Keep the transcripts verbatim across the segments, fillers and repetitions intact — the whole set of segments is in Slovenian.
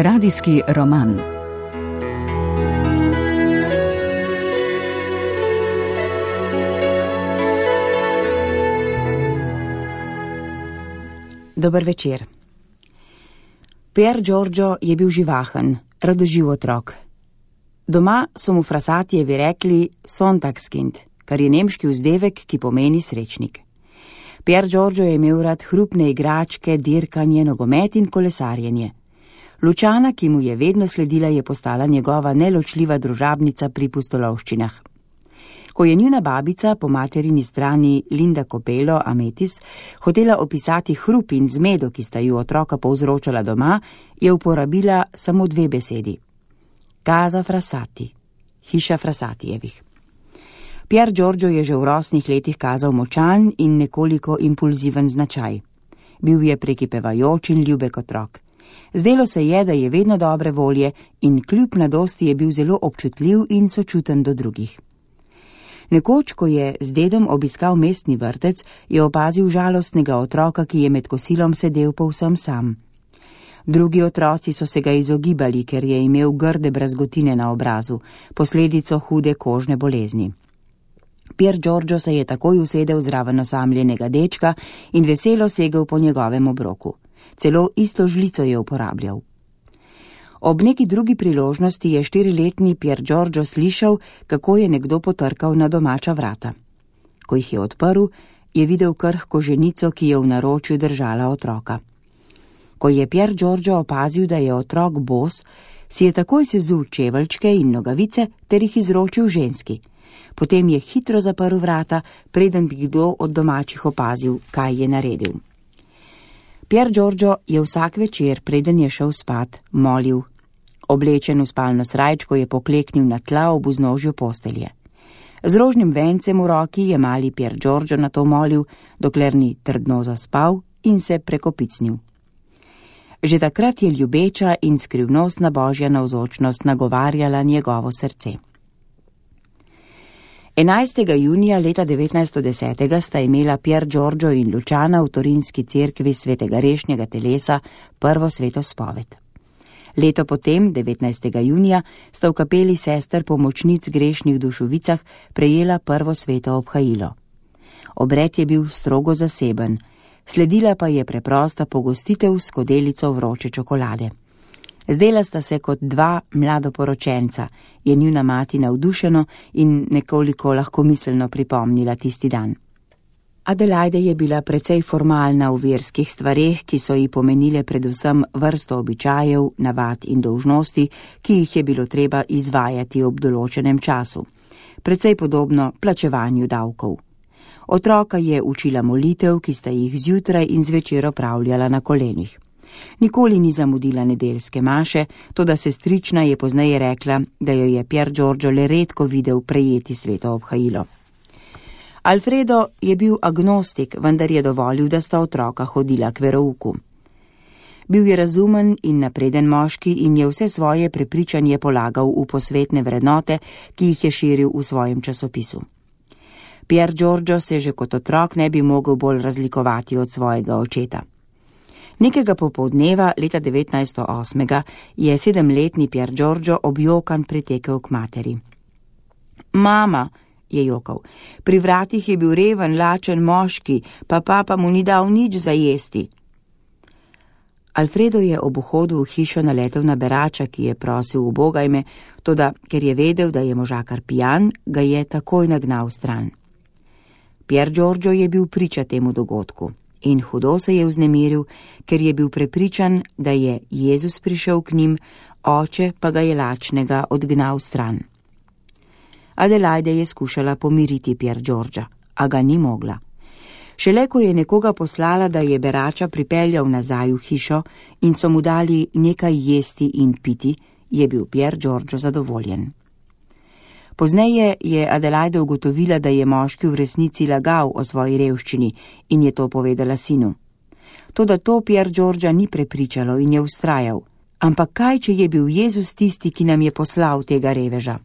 Radijski roman. Dober večer. Pier Giorgio je bil živahen, radoživ otrok. Doma so mu Frasatijevi rekli Sonntagskind, kar je nemški vzdevek, ki pomeni srečnik. Pier Giorgio je imel rad hrupne igračke, dirkanje, nogomet in kolesarjenje. Lučana, ki mu je vedno sledila, je postala njegova neločljiva družabnica pri pustolovščinah. Ko je njuna babica, po materini strani Linda Copelo Ametis, hotela opisati hrup in zmedo, ki sta ju otroka povzročala doma, je uporabila samo dve besedi. Casa Frassati, hiša Frassatijevih. Pier Giorgio je že v rosnih letih kazal močan in nekoliko impulziven značaj. Bil je prekipevajoč in ljubek otrok. Zdelo se je, da je vedno dobre volje in kljub mladosti je bil zelo občutljiv in sočuten do drugih. Nekoč, ko je z dedom obiskal mestni vrtec, je opazil žalostnega otroka, ki je med kosilom sedel povsem sam. Drugi otroci so se ga izogibali, ker je imel grde brazgotine na obrazu, posledico hude kožne bolezni. Pier Giorgio se je takoj usedel zraven osamljenega dečka in veselo segel po njegovem obroku. Celo isto žlico je uporabljal. Ob neki drugi priložnosti je štiriletni Pier Giorgio slišal, kako je nekdo potrkal na domača vrata. Ko jih je odprl, je videl krhko ženico, ki je v naročju držala otroka. Ko je Pier Giorgio opazil, da je otrok bos, si je takoj sezul čeveljčke in nogavice ter jih izročil ženski. Potem je hitro zaprl vrata, preden bi kdo od domačih opazil, kaj je naredil. Pier Giorgio je vsak večer, preden je šel spat, molil. Oblečen v spalno srajčko je pokleknil na tla ob vznožju postelje. Z rožnim vencem v roki je mali Pier Giorgio na to molil, dokler ni trdno zaspal in se prekopicnil. Že takrat je ljubeča in skrivnostna božja navzočnost nagovarjala njegovo srce. enajstega junija leta devetnajststo deset sta imela Pier Giorgio in Lučana v torinski cerkvi svetega Rešnjega telesa prvo sveto spoved. Leto potem, devetnajstega junija, sta v kapeli sester pomočnic grešnih duš v Vicah prejela prvo sveto obhajilo. Obred je bil strogo zaseben, sledila pa je preprosta pogostitev s skodelico vroče čokolade. Zdela sta se kot dva mladoporočenca, je njuna mati navdušeno in nekoliko lahkomiselno pripomnila tisti dan. Adelaide je bila precej formalna v verskih stvareh, ki so ji pomenile predvsem vrsto običajev, navad in dolžnosti, ki jih je bilo treba izvajati ob določenem času. Precej podobno plačevanju davkov. Otroka je učila molitev, ki sta jih zjutraj in zvečer opravljala na kolenih. Nikoli ni zamudila nedeljske maše, toda sestrična je pozneje rekla, da jo je Pier Giorgio le redko videl prejeti sveto obhajilo. Alfredo je bil agnostik, vendar je dovolil, da sta otroka hodila k verouku. Bil je razumen in napreden moški in je vse svoje prepričanje polagal v posvetne vrednote, ki jih je širil v svojem časopisu. Pier Giorgio se že kot otrok ne bi mogel bolj razlikovati od svojega očeta. Nekega popoldneva leta devetnajststo osem je sedemletni Pier Giorgio objokan pritekel k materi. Mama, je jokal, pri vratih je bil reven, lačen moški, pa papa mu ni dal nič za jesti. Alfredo je ob vhodu v hišo naletel na berača, ki je prosil ubogajme, toda ker je vedel, da je možakar pijan, ga je takoj nagnal stran. Pier Giorgio je bil priča temu dogodku. In hudo se je vznemiril, ker je bil prepričan, da je Jezus prišel k njim, oče pa ga je lačnega odgnal stran. Adelaide je skušala pomiriti Pier Giorgia, a ga ni mogla. Šele ko je nekoga poslala, da je berača pripeljal nazaj v hišo in so mu dali nekaj jesti in piti, je bil Pier Giorgio zadovoljen. Pozneje je Adelaide ugotovila, da je moški v resnici lagal o svoji revščini in je to povedala sinu. Toda to Pier Giorgia ni prepričalo in je vztrajal. Ampak kaj, če je bil Jezus tisti, ki nam je poslal tega reveža?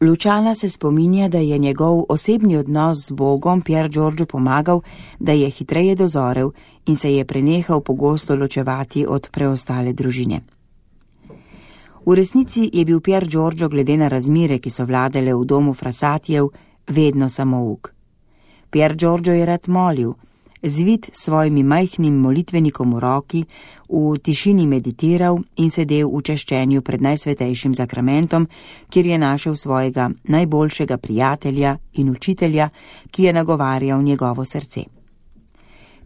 Luciana se spominja, da je njegov osebni odnos z Bogom Pier Giorgio pomagal, da je hitreje dozorel in se je prenehal pogosto ločevati od preostale družine. V resnici je bil Pier Giorgio glede na razmere, ki so vladale v domu Frassatijev, vedno samouk. Pier Giorgio je rad molil, zvit s svojimi majhnim molitvenikom v roki, v tišini meditiral in sedel v čaščenju pred najsvetejšim zakramentom, kjer je našel svojega najboljšega prijatelja in učitelja, ki je nagovarjal njegovo srce.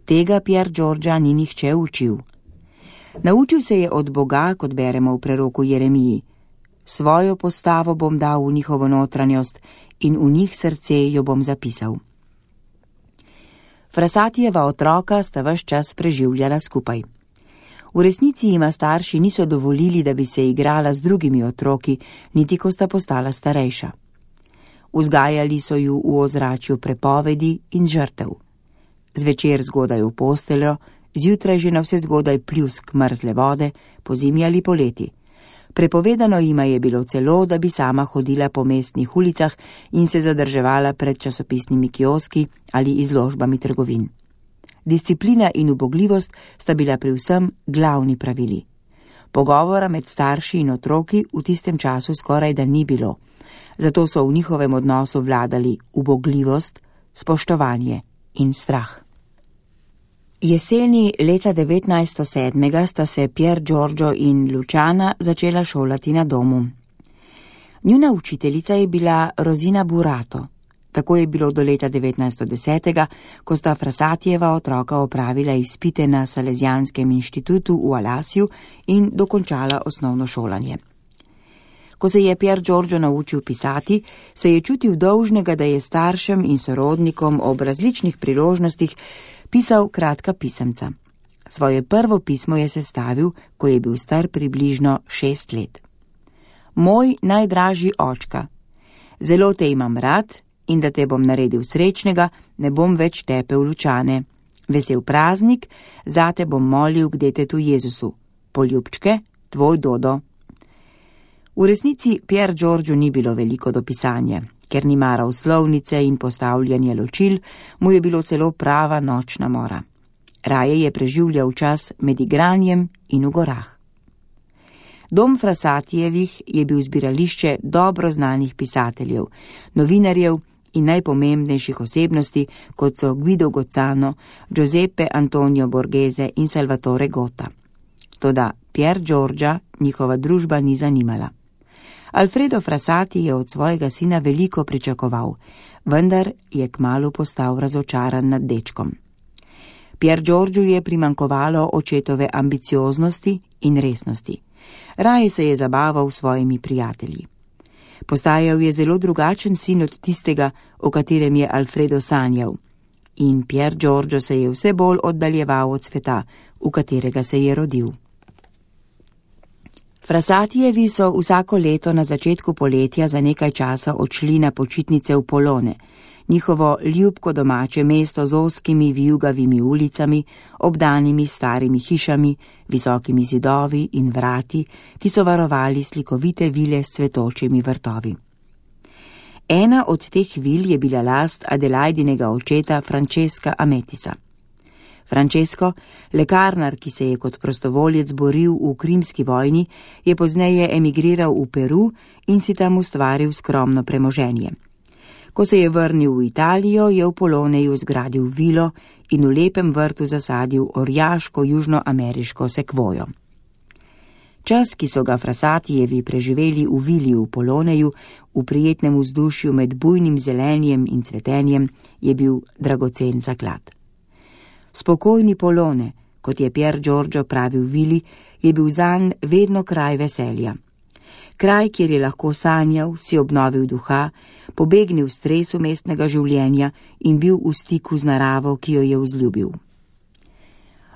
Tega Pier Giorgia ni nihče učil. Naučil se je od Boga, kot beremo v preroku Jeremiji. Svojo postavo bom dal v njihovo notranjost in v njih srce jo bom zapisal. Frassatijeva otroka sta ves čas preživljala skupaj. V resnici jima starši niso dovolili, da bi se igrala z drugimi otroki, niti ko sta postala starejša. Vzgajali so ju v ozračju prepovedi in žrtev. Zvečer zgodaj v posteljo, zjutraj že na vse zgodaj pljusk mrzle vode, pozimi ali poleti. Prepovedano jima je bilo celo, da bi sama hodila po mestnih ulicah in se zadrževala pred časopisnimi kioski ali izložbami trgovin. Disciplina in ubogljivost sta bila pri vsem glavni pravili. Pogovora med starši in otroki v tistem času skoraj da ni bilo, zato so v njihovem odnosu vladali ubogljivost, spoštovanje in strah. Jeseni leta devetnajststo sedem sta se Pier Giorgio in Luciana začela šolati na domu. Njuna učiteljica je bila Rosina Burato. Tako je bilo do leta devetnajststo deset, ko sta Frassatijeva otroka opravila izpite na Salezijanskem inštitutu v Alasiju in dokončala osnovno šolanje. Ko se je Pier Giorgio naučil pisati, se je čutil dolžnega, da je staršem in sorodnikom ob različnih priložnostih pisal kratka pisemca. Svoje prvo pismo je sestavil, ko je bil star približno šest let. Moj najdražji očka, zelo te imam rad in da te bom naredil srečnega, ne bom več tepel Lučane. Vesel praznik, zate bom molil k detetu Jezusu. Poljubčke, tvoj Dodo. V resnici Pier Giorgio ni bilo veliko do pisanja. Ker ni maral slovnice in postavljanje ločil, mu je bilo celo prava nočna mora. Raje je preživljal čas med igranjem in v gorah. Dom Frassatijevih je bil zbirališče dobro znanih pisateljev, novinarjev in najpomembnejših osebnosti, kot so Guido Gozzano, Giuseppe Antonio Borghese in Salvatore Gota. Toda Pier Giorgia njihova družba ni zanimala. Alfredo Frassati je od svojega sina veliko pričakoval, vendar je kmalu postal razočaran nad dečkom. Pier Giorgiu je primankovalo očetove ambicioznosti in resnosti. Raje se je zabaval s svojimi prijatelji. Postajal je zelo drugačen sin od tistega, o katerem je Alfredo sanjal. In Pier Giorgio se je vse bolj oddaljeval od sveta, v katerega se je rodil. Frassatijevi so vsako leto na začetku poletja za nekaj časa odšli na počitnice v Polone, njihovo ljubko domače mesto z ozkimi vijugavimi ulicami, obdanimi starimi hišami, visokimi zidovi in vrati, ki so varovali slikovite vile s cvetočimi vrtovi. Ena od teh vil je bila last Adelaidinega očeta Francesca Ametisa. Francesco, lekarnar, ki se je kot prostovoljec boril v krimski vojni, je pozneje emigriral v Peru in si tam ustvaril skromno premoženje. Ko se je vrnil v Italijo, je v Poloneju zgradil vilo in v lepem vrtu zasadil orjaško južnoameriško sekvojo. Čas, ki so ga Frassatijevi preživeli v vili v Poloneju, v prijetnem vzdušju med bujnim zelenjem in cvetenjem, je bil dragocen zaklad. Spokojni Polone, kot je Pier Giorgio pravil vili, je bil zanj vedno kraj veselja. Kraj, kjer je lahko sanjal, si obnovil duha, pobegnil stresu mestnega življenja in bil v stiku z naravo, ki jo je vzljubil.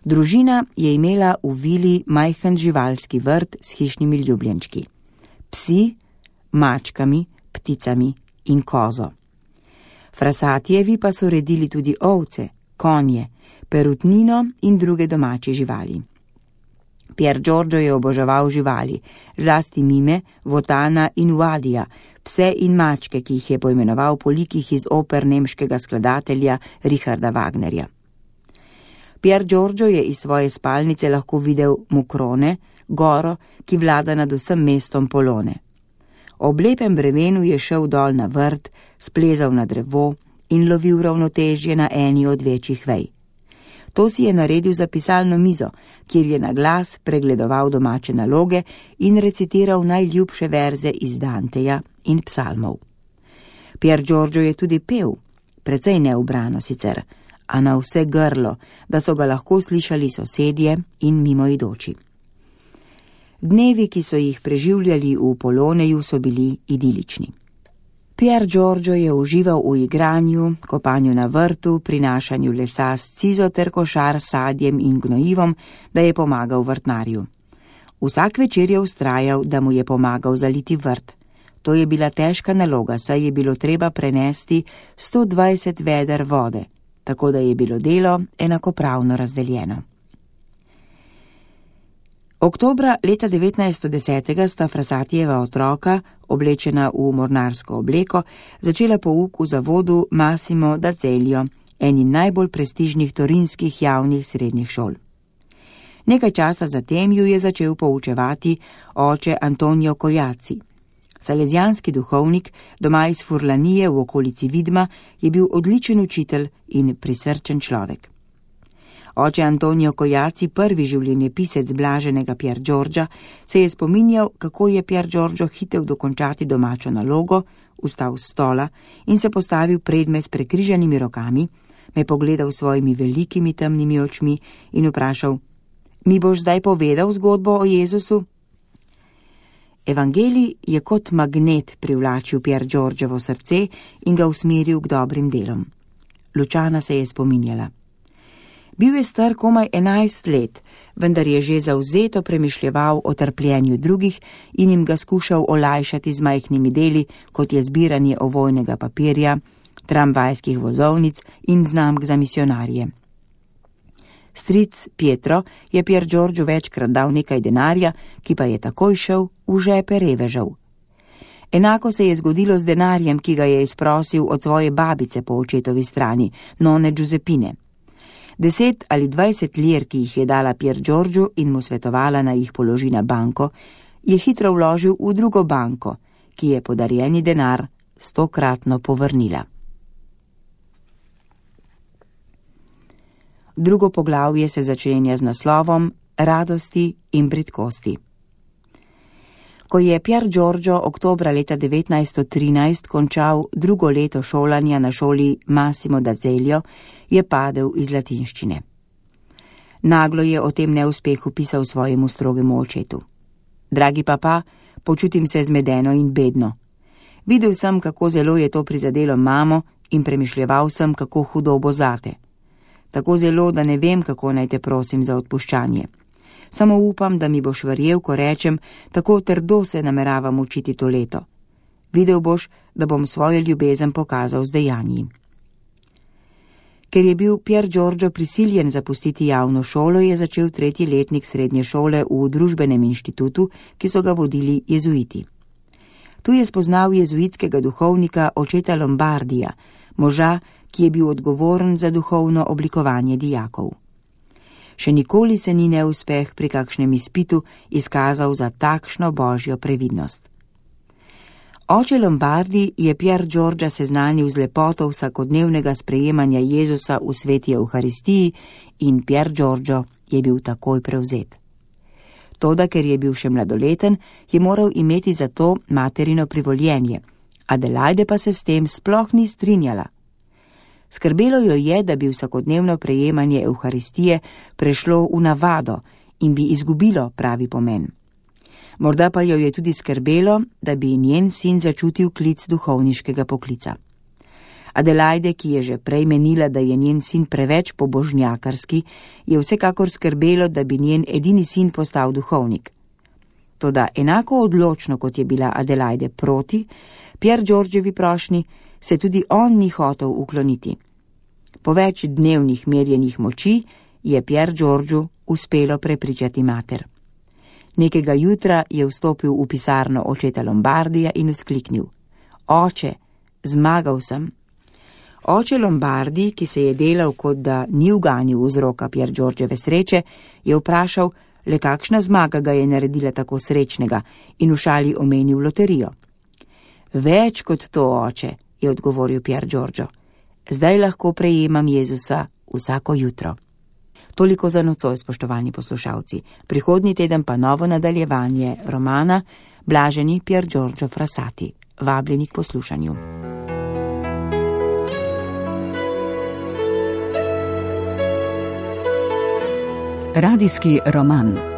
Družina je imela v vili majhen živalski vrt s hišnimi ljubljenčki. Psi, mačkami, pticami in kozo. Frassatijevi pa so redili tudi ovce, konje, perutnino in druge domače živali. Pier Giorgio je oboževal živali, zlasti mime, votana in uvadija, Pse in mačke, ki jih je poimenoval po likih iz oper nemškega skladatelja Richarda Wagnerja. Pier Giorgio je iz svoje spalnice lahko videl Mukrone, goro, ki vlada nad vsem mestom Polone. Ob lepem bremenu je šel dol na vrt, splezal na drevo in lovil ravnotežje na eni od večjih vej. To si je naredil za pisalno mizo, kjer je na glas pregledoval domače naloge in recitiral najljubše verze iz Danteja in psalmov. Pier Giorgio je tudi pel, precej neubrano sicer, a na vse grlo, da so ga lahko slišali sosedje in mimoidoči. Dnevi, ki so jih preživljali v Poloneju, so bili idilični. Pier Giorgio je užival v igranju, kopanju na vrtu, prinašanju lesa s cizo ter košar s sadjem in gnojivom, da je pomagal vrtnarju. Vsak večer je vztrajal, da mu je pomagal zaliti vrt. To je bila težka naloga, saj je bilo treba prenesti sto dvajset veder vode, tako da je bilo delo enakopravno razdeljeno. Oktobra leta devetnajststo deset sta Frassatijeva otroka, oblečena v mornarsko obleko, začela pouk v zavodu Massimo d'Azeglio, eni najbolj prestižnih torinskih javnih srednjih šol. Nekaj časa zatem ju je začel poučevati oče Antonio Cojaci. Salezijanski duhovnik, doma iz Furlanije v okolici Vidma, je bil odličen učitelj in prisrčen človek. Oče Antonio Cojaci, prvi življenjepisec blaženega Pier Giorgia, se je spominjal, kako je Pier Giorgio hitel dokončati domačo nalogo, vstal s stola in se postavil pred me s prekrižanimi rokami, me pogledal s svojimi velikimi temnimi očmi in vprašal: "Mi boš zdaj povedal zgodbo o Jezusu?" Evangelij je kot magnet privlačil Pier Giorgiovo srce in ga usmeril k dobrim delom. Lučana se je spominjala. Bil je star komaj enajst let, vendar je že zavzeto premišljeval o trpljenju drugih in jim ga skušal olajšati z majhnimi deli, kot je zbiranje ovojnega papirja, tramvajskih vozovnic in znamk za misionarje. Stric Pietro je Pier Giorgio večkrat dal nekaj denarja, ki pa je takoj šel v žepe revežev. Enako se je zgodilo z denarjem, ki ga je izprosil od svoje babice po očetovi strani, none Giuseppine. Deset ali dvajset lir, ki jih je dala Pier Giorgio in mu svetovala, naj jih položi na banko, je hitro vložil v drugo banko, ki je podarjeni denar stokratno povrnila. Drugo poglavje se začenja z naslovom Radosti in bridkosti. Ko je Pier Giorgio oktobra leta devetnajststo trinajst končal drugo leto šolanja na šoli Massimo d'Azeglio, je padel iz latinščine. Naglo je o tem neuspehu pisal svojemu strogemu očetu. Dragi papa, počutim se zmedeno in bedno. Videl sem, kako zelo je to prizadelo mamo in premišljeval sem, kako hudo bo zate. Tako zelo, da ne vem, kako naj te prosim za odpuščanje. Samo upam, da mi boš verjel, ko rečem, tako trdo se nameravam učiti to leto. Videl boš, da bom svojo ljubezen pokazal z dejanji. Ker je bil Pier Giorgio prisiljen zapustiti javno šolo, je začel tretji letnik srednje šole v družbenem inštitutu, ki so ga vodili jezuiti. Tu je spoznal jezuitskega duhovnika očeta Lombardija, moža, ki je bil odgovoren za duhovno oblikovanje dijakov. Še nikoli se ni neuspeh pri kakšnem izpitu izkazal za takšno božjo previdnost. Oče Lombardi je Pier Giorgia seznanil z lepoto vsakodnevnega sprejemanja Jezusa v sveti Evharistiji in Pier Giorgio je bil takoj prevzet. Toda, ker je bil še mladoleten, je moral imeti za to materino privoljenje, Adelaide pa se s tem sploh ni strinjala. Skrbelo jo je, da bi vsakodnevno prejemanje Evharistije prešlo v navado in bi izgubilo pravi pomen. Morda pa jo je tudi skrbelo, da bi njen sin začutil klic duhovniškega poklica. Adelaide, ki je že prej menila, da je njen sin preveč pobožnjakarski, je vsekakor skrbelo, da bi njen edini sin postal duhovnik. Toda enako odločno, kot je bila Adelaide proti Pier Giorgiovi prošnji, se tudi on ni hotel ukloniti. Po več dnevnih merjenih moči je Pier Giorgio uspelo prepričati mater. Nekega jutra je vstopil v pisarno očeta Lombardija in vzkliknil: Oče, zmagal sem. Oče Lombardi, ki se je delal, kot da ni uganil vzroka Piergiorgiove sreče, je vprašal, le kakšna zmaga ga je naredila tako srečnega, in v šali omenil loterijo. Več kot to, oče, je odgovoril Piergiorgio. Zdaj lahko prejemam Jezusa vsako jutro. Toliko za nocoj, spoštovani poslušalci. Prihodnji teden pa novo nadaljevanje romana Blaženi Piergiorgio Frassati. Vabljeni k poslušanju. Radijski roman.